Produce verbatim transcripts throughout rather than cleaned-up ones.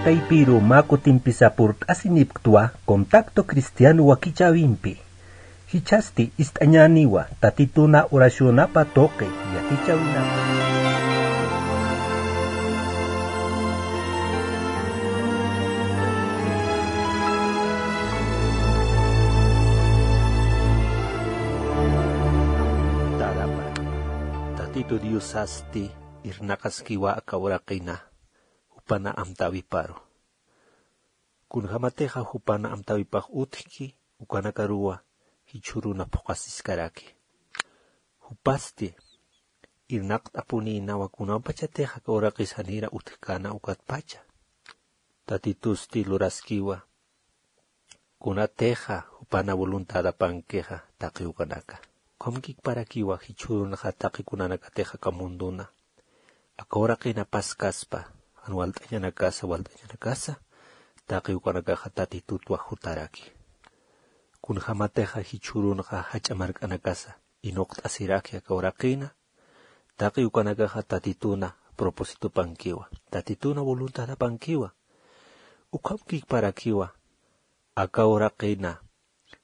Taypiru mä kutimpisa purt'asinipktwa Contacto Cristiano wakichäwimpi. Jichhasti ist'añäniwa Tatituna oracionapa tuqi yatichäwinapa. Tadapa, Tatitu Diosasti irnaqaskiwa aka uraqina jupana amtäwiparu. Kunjämatixa jupana amtäwipax utjki, ukanakaruwa jichhüruna phuqasiskaraki. Jupasti irnaqt'apunïnawa kunapachatix aka uraqis janira utjkäna ukatpacha. Tatitusti luraskiwa kunatixa jupana voluntadapankixa taqi ukanaka. Ukhamkikparakiwa jichhürunxa taqi kunanakatix aka munduna aka uraqina paskaspa, jan walt'añanakasa, walt'añanakasa, taqi ukanakaxa Tatitutwa jutaraki. Kunjämatixa jichhürunxa jach'a mark'anakasa inuqt'asiraki aka uraqina, taqi ukanakaxa Tatituna propósitopankiwa, Tatituna voluntadapankiwa. Ukhamkikparakiwa aka uraqina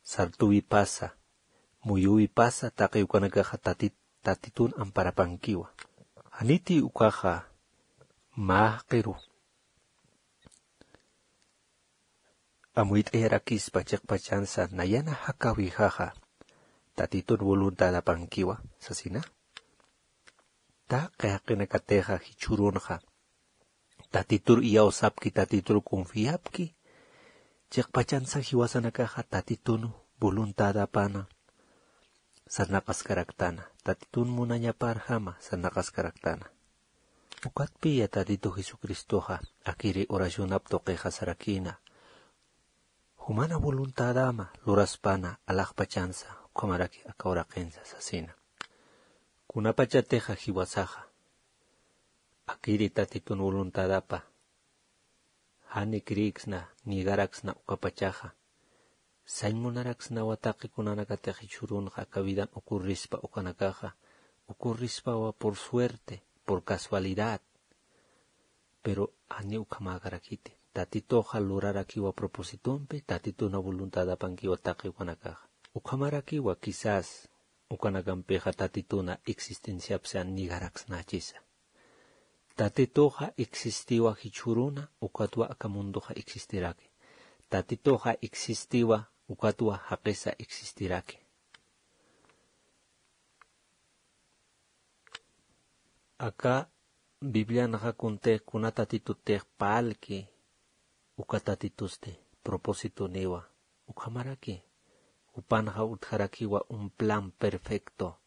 sartuwipasa, muyuwipasa, taqi ukanakaxa Tatit-, Tatitun amparapankiwa. Janiti ukaxa mä jaqiru amuyt'ayarakispa chiqpachansa nayana jakäwijaxa, Tatitun voluntadapankiwa sasina. Taqi jaqinakatixa jichhürunxa Tatitur iyawsapki, Tatitur confiapki, chiqpachansa jiwasanakaxa Tatitun voluntadapana sarnaqaskaraktana, Tatitun munañaparjama sarnaqaskaraktana. Ukatpiya Tatitu Jesucristoxa akiri oracionap tuqixa sarakïna, jumana voluntadama luraspana alaxpachansa, ukhamaraki aka uraqinsa sasina. Kunapachatixa jiwasaxa akiri Tatitun voluntadapa jani creeksna, negaraksna ukapachaxa, sañ munaraksnawa taqi kunanakatix jichhürunxa aka vidan ocurrispa ukanakaxa, ocurrispawa por suerte, por casualidad. Pero jani ukhamäkarakiti. Tatituxa lurarakiwa propósitompi, Tatituna voluntadapankiwa taqi ukanakaxa. Ukhamarakiwa quizás ukanakampixa Tatituna existenciapsa negaraksnachisa. Tatituxa existiwa jichhüruna, ukatwa aka munduxa existiraki. Tatituxa existiwa, ukatwa jaqisa existiraki. Aka Biblianxa kuntix kuna Tatitutix parlki, uka Tatitusti propósituniwa. Ukhamaraki, jupanxa utjarakiwa un plan perfecto,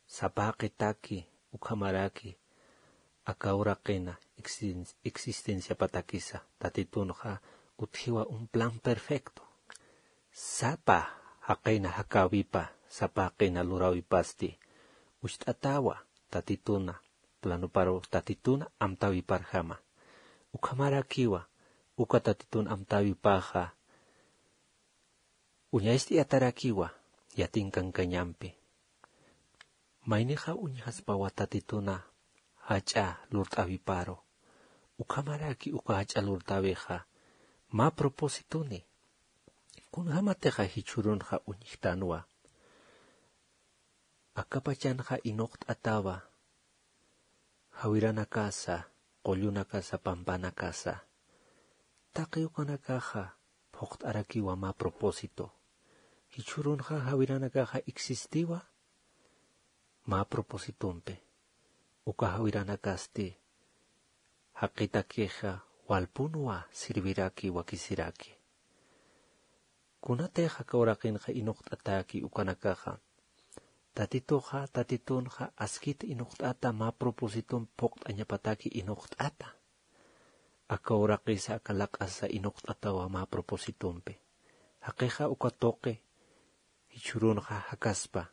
sapa jaqitaki, ukhamaraki, aka uraqina existen-, existenciapatakisa, Tatitunxa utjiwa un plan perfecto. Sapa jaqina jakäwipa, sapa jaqina luräwipasti, ucht'atawa Tatituna, planoparu Tatituna amtäwiparjama. Ukhamarakiwa, uka Tatitun amtäwipaxa, uñacht'ayatarakiwa, yatinkankañampi. Maynixa uñjaspawa Tatituna jach'a lurt'äwiparu. Ukhamaraki uka jach'a lurt'äwixa, mä propósituni. Kunjämatixa jichhürunxa uñjtanwa. Akapachanxa inuqt'atawa, jawiranakasa, qullunakasa, pampanakasa. Taqi ukanakaxa, phuqt'arakiwa mä propósito. Jichhürunxa jawiranakaxa existiwa, mä propósitompi. Uka jawiranakasti, jaqitakixa, walpunwa, sirviraki, wakisiraki. Kunatix aka uraqinxa inuqt'ataki ukanakaxa. Tatituxa, Tatitunxa, askit inuqt'ata mä propósiton phuqt'añapataki inuqt'ata. Aka uraqisa, aka laq'asa inuqt'atawa mä propósitompi. Jaqixa uka tuqi, jichhürunxa jakaspa.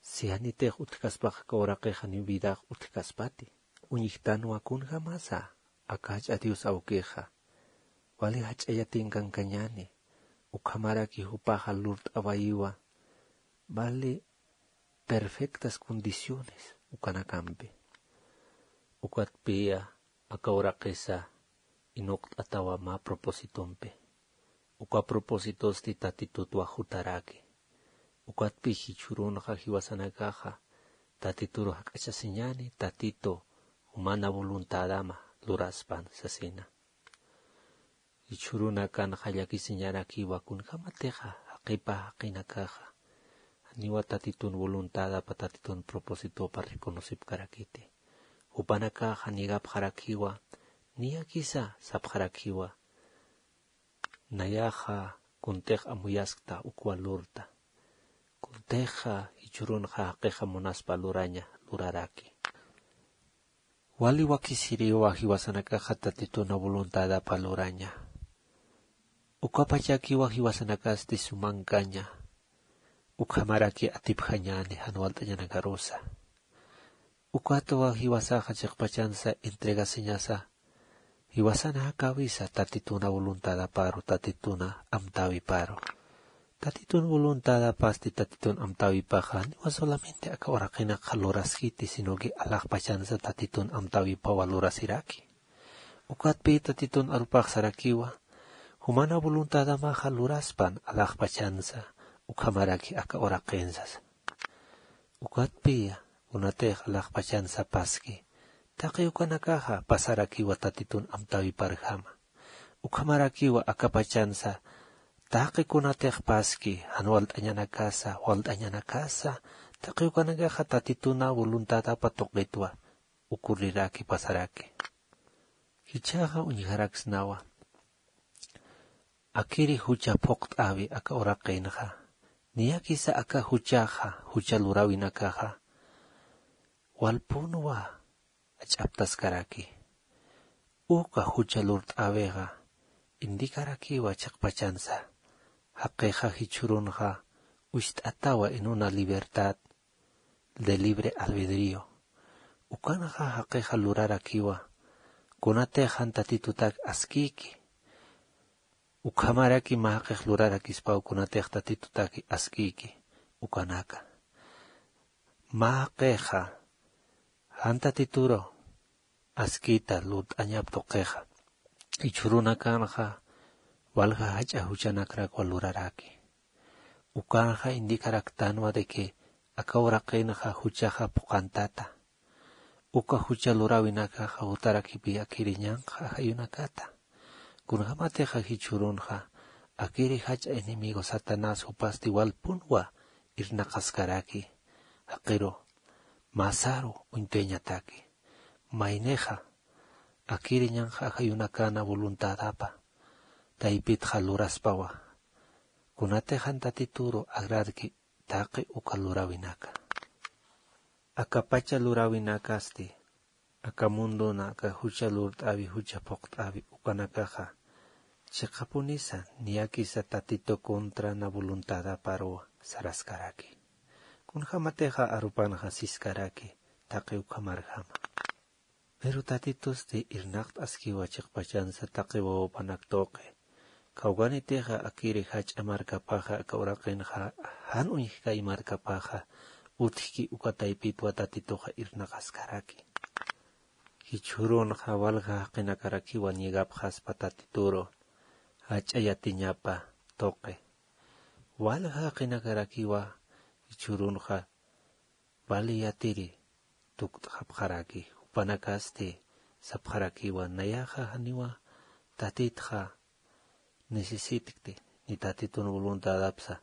Si janitix utjkaspaxa aka uraqix janiw vidax utjkaspati. Uñjtanwa kunjamasa, aka jach'a Dios awkixa. Wali jach'a yatinkankañäni, ukhamaraki jupaxa lurt'awayiwa, vale perfectas condiciones, ukanakampi. Ukatpiya, aka uraqisa, inuqt'atawa mä propósitompi. Uka propósitosti tatitutwa jutaraki. Ukatpi jichhürunxa jiwasanakaxa tatituru jak'achasiñäni, tatitu jumana voluntadama luraspan sasina. Jichhürunakanxa llakisiñarakiwa kunjämatixa jaqipa jaqinakaxa janiwa tatitun voluntadapa tatitun propósitopa reconocipkarakiti. Jupanakaxa nigapxarakiwa, niyakisa sapxarakiwa. Nayaxa kuntix amuyaskta uk valorta. Kuntixa jichhürunxa jaqixa munaspa luraña luraraki. Wali wakisiriwa jiwasanakaxa tatituna voluntadapa luraña. Ukapachakiwa jiwasanakasti sumankaña. Ukhamaraki atipjañäni jan walt'añanakarusa. Ukatwa jiwasaxa chiqpachansa entregasiñasa jiwasana jakawisa tatituna voluntadaparu, tatituna amtäwiparu. Tatitun voluntadapasti tatitun amtäwipaxa niwa solamente aka uraqinakxa luraskiti, sino que alaxpachansa tatitun amtäwipawa lurasiraki. Ukatpi tatitun arupax sarakiwa, jumana voluntadamaxa luraspan alaxpachansa, ukhamaraki aka uraqinsa. Ukatpiya kunatix alaxpachansa paski, taqi ukanakaxa pasarakiwa tatitun amtäwiparjama. Ukhamarakiwa akapachansa taqi kunatix paski, jan walt'añanakasa, walt'añanakasa, taqi ukanakaxa tatituna voluntadapa tuqitwa ukurriraki pasaraki. Jichhaxa uñjaraksnawa. Akiri jucha phuqt'äwi aka uraqinxa. Niyakisa aka juchaxa, jucha luräwinakaxa walpunwa jach'aptaskaraki. Uka jucha lurt'äwixa indicarakiwa chiqpachansa jaqixa jichhürunxa ucht'atawa en una libertad de libre albedrío. Ukanxa jaqixa lurarakiwa kunatix jan tatitutak askïki. Ukhamaraki mä jaqix lurarakispaw kunatix tatitutaki askïki ukanaka. Mä jaqixa jan tatituru askïta lurt'añap tuqixa, jichhürunakanxa walja jach'a juchanakrakwa luraraki. Ukanxa indicaraktänwa de que aka uraqinxa juchaxa phuqantata. Uka jucha luräwinakaxa jutarakipi akiri ñanqha ajayunakata. Kunjämatixa jichhürunxa akiri jach'a enemigo Satanás jupasti walpunwa irnaqaskaraki. Jaqiru masaru uñtuyañataki. Maynixa akiri ñanqha ajayunakana voluntadapa taypitxa luraspawa, kunatix jan tatituru agradki taqi uka luräwinaka. Akapacha luräwinakasti aka mundona aka jucha lurt'äwi, jucha phuqt'äwi ukanakaxa chiqapunisa niyakisa tatitu contrana voluntadaparuwa saraskaraki. Kunjämatixa arupanxa siskaraki taqi ukhamarjama. Pero tatitusti irnaqt'askiwa chiqpachansa taqi wawapanak tuqi. Kawkanitixa akiri jach'a markapaxa aka uraqinxa jan uñjkay markapaxa utjki uka taypitwa tatituxa irnaqaskaraki. Jichhürunxa walja jaqinakarakiwa ñigapxaspa tatituru jach'a yatiñapa tuqi. Walja jaqinakarakiwa jichhürunxa vali yatiri tukt'xapxaraki, jupanakasti sapxarakiwa, nayaxa janiwa tatitxa necesitkti, ni tatitun voluntadapsa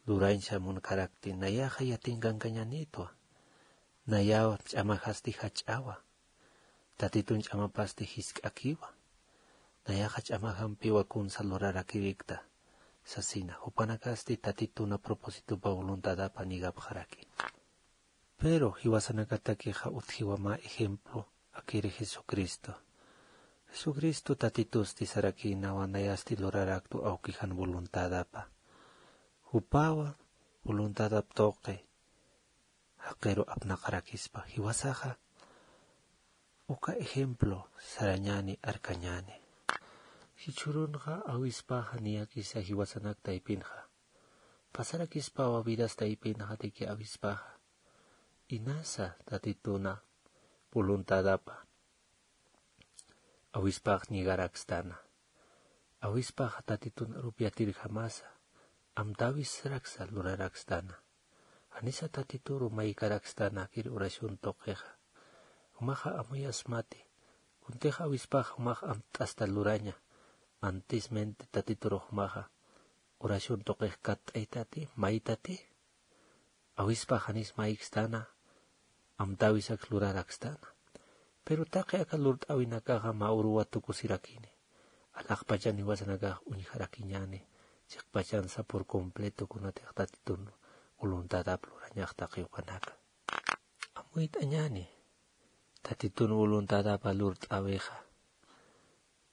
lurañsa munkarakti, nayaxa yatinkankañänïtwa, nayaw ch'amajasti jach'awa. Tatitun ch'amapasti jisk'akiwa. Nayaxa ch'amajampiwa kunsa lurarakirikta sasina. Jupanakasti tatituna propósitopa voluntadapa nigapxaraki. Pero jiwasanakatakixa utjiwa mä ejemplo akiri Jesucristo. Jesucristo tatitusti sarakïnawa nayasti luraraktu awkijan voluntadapa. Jupawa voluntadap tuqi jaqiru apnaqarakispa. Jiwasaxa uka ejemplo sarañäni, arkañäni. Jichhürunxa awispaxa niyakisa jiwasanak taypinxa. Pasarakispawa vidas taypinxa de que awispaxa. Inasa tatituna voluntadapa Awispax ñigarakstana. Awispaxa tatitun arupiatirjamasa amtäwisraksa lurarakstana. Janisa tatituru maykarakstana kir oración tuqixa. Jumaxa amuyasmati. Kuntix awispax jumax amtt'asta luraña. Antismente tatituru jumaxa oración tuqix katt'aytati maytati. Awispax janis maykstana amtäwisak lurarakstana. Pero taqi aka lurt'äwinakaxa mä uruwa tukusirakini. Alaxpachan jiwasanakax uñjarakiñäni chiqpachansa por completo kunatix tatitun voluntadap lurañax taqi ukanaka. Amuyt'añäni tatitun voluntadapa lurt'äwixa.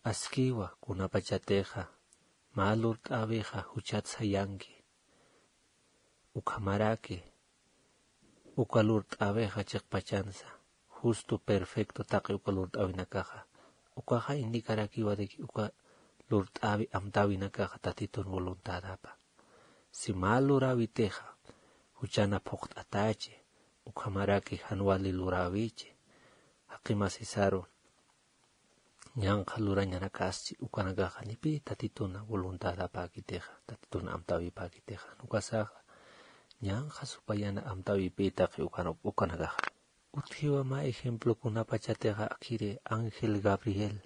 Askiwa kunapachatixa mä lurt'äwixa juchat sayanki. Ukhamaraki uka lurt'äwixa chiqpachansa justo perfecto taqi uka lurt'äwinakaxa. Ukaxa indicarakiwa de que uka lurt'äwi amtäwinakaxa tatitun voluntadapa. Si mä luräwitixa juchana phuqt'atachi ukhamaraki jan wali luräwichi jaqimasisaru ñanqha lurañanakasti ukanakaxa janipï tatituna voluntadapäkitixa tatituna amtäwipäkitixa. Ukasaxa ñanqha supayana amtäwipï taqi ukanakaxa. Utjiwa mä ejemplo kunapachatixa akiri ángel Gabriel.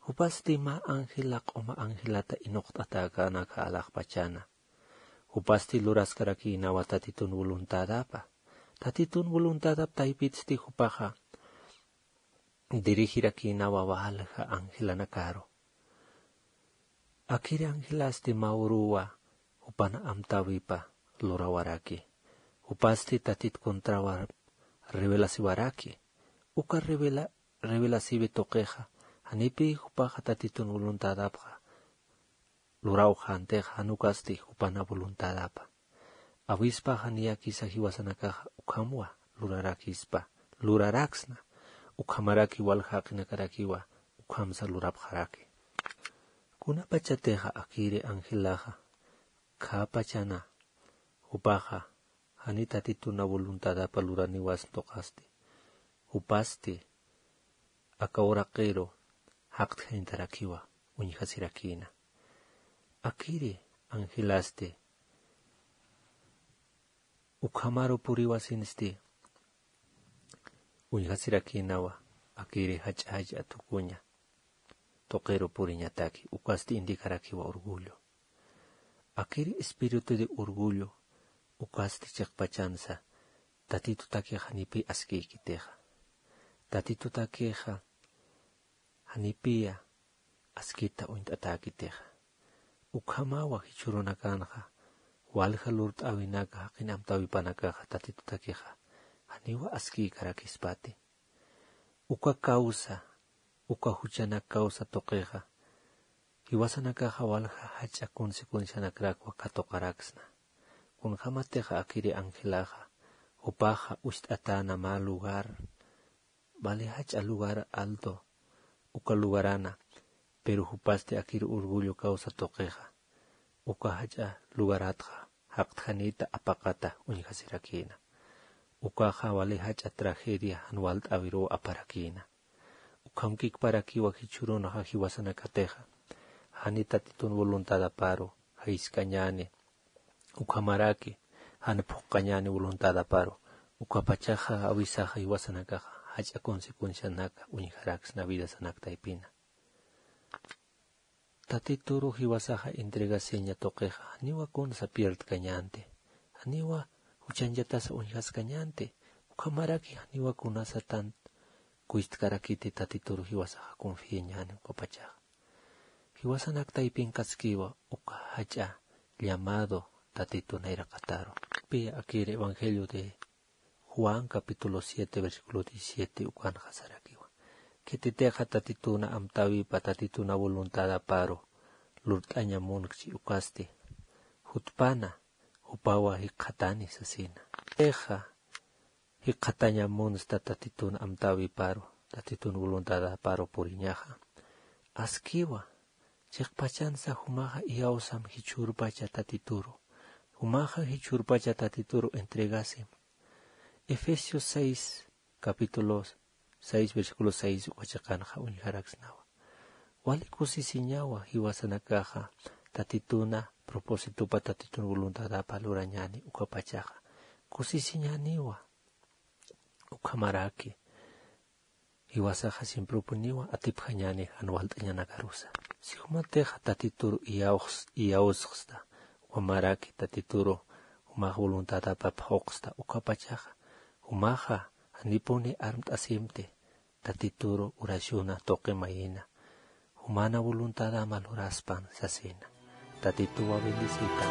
Jupasti mä ángela q'uma angelata inuqt'atäkänaka alaxpachana. Jupasti luraskarakïnawa tatitun voluntadapa. Tatitun voluntadap taypitsti jupaxa dirigirakïnawa walja angelanakaru. Akiri angelasti mä uruwa jupana amtäwipa lurawaraki. Jupasti tatit contrawa revelasiwaraki. Uka revela revelasiwi tuqixa janipï jupaxa tatitun voluntadapxa lurawxäntix jan ukasti jupana voluntadapa. Awispaxa niyakisa jiwasanakaxa ukhamwa lurarakispa luraraksna. Ukhamaraki walja jaqinakarakiwa ukhamsa lurapxaraki. Kunapachatixa akiri angelaxa khäpachana jupaxa jani tatituna voluntadapa luraniwas tuqasti. Jupasti aka uraqiru jaqtjañtarakiwa uñjasirakïna. Akiri angelasti ukhamaru puriwasinsti uñjasirakïnawa akiri jach'a jach'a tukuña tuqiru puriñataki. Ukasti indicarakiwa orgullo. Akiri espíritu de orgullo ukasti chiqpachansa tatitutakixa janipï askïkitixa. Tatitutakixa janipïya askita uñt'atäkitixa. Ukhamawa jichhürunakanxa walja lurt'äwinaka jaqin amtäwipanakaxa tatitutakixa janiwa askïkarakispati. Uka causa uka juchanak causa tuqixa jiwasanakaxa walja jach'a consecuencianakrakwa katuqaraksna. Kunjämatixa akiri angelaxa jupaxa ucht'atäna mä lugar vale jach'a lugar alto uka lugarana. Pero jupasti akir orgullo causa tuqixa uka jach'a lugaratxa jaqtjanita apaqata uñjasirakïna. Ukaxa vale jach'a tragedia jan walt'äwiruw aparakïna. Ukham kikparakiwa jichhürunxa jiwasanakatixa jani tatitun voluntadaparu jayiskañäni ukhamaraki jan phuqañäni voluntadaparu. Ukapachaxa awisaxa jiwasanakaxa jach'a consecuencianaka uñjaraksna vidasanak taypina. Tatituru jiwasaxa entregasiña tuqixa janiwa kunsa pierdkañänti. Janiwa juchañchatasa uñjaskañänti. Ukhamaraki janiwa kunasa tant kuytkarakiti tatituru jiwasaxa confiañäni ukapachaxa. Jiwasanak taypinkaskiwa uka jach'a llamado tatitun nayraqataru. Pi akir evangelio de Juan capítulo siete versículo diecisiete ukanxa sarakiwa. Khititixa tatituna amtäwipa tatituna voluntadaparu lurt'aña munkchi ukasti jutpana jupawa jikxatani sasina. Ixa jikxataña munsta tatitun amtäwiparu tatitun voluntadaparu puriñaxa. Askiwa chiqpachansa jumaxa iyawsam jichhürpacha tatituru. Jumaxa jichhürpacha tatituru entregasim. Efesios seis capítulo seis versículo seis uka chiqanxa uñjaraksnawa. Wali kusisiñawa jiwasanakaxa tatituna propositupa tatitun voluntadapa lurañani ukapachaxa kusisiñaniwa. Ukhamaraki jiwasaxa simprupuniwa atipjañani jan walt'añanakarusa. Sijumatixa tatituru iyawxsta ukhamaraki tatituru jumax voluntadapa phuqsta ukapachaxa jumaxa janipuni armt'asimti tatituru urashuna tuqimayina jumana voluntadama luraspan sasina. Tatituwa bendisita.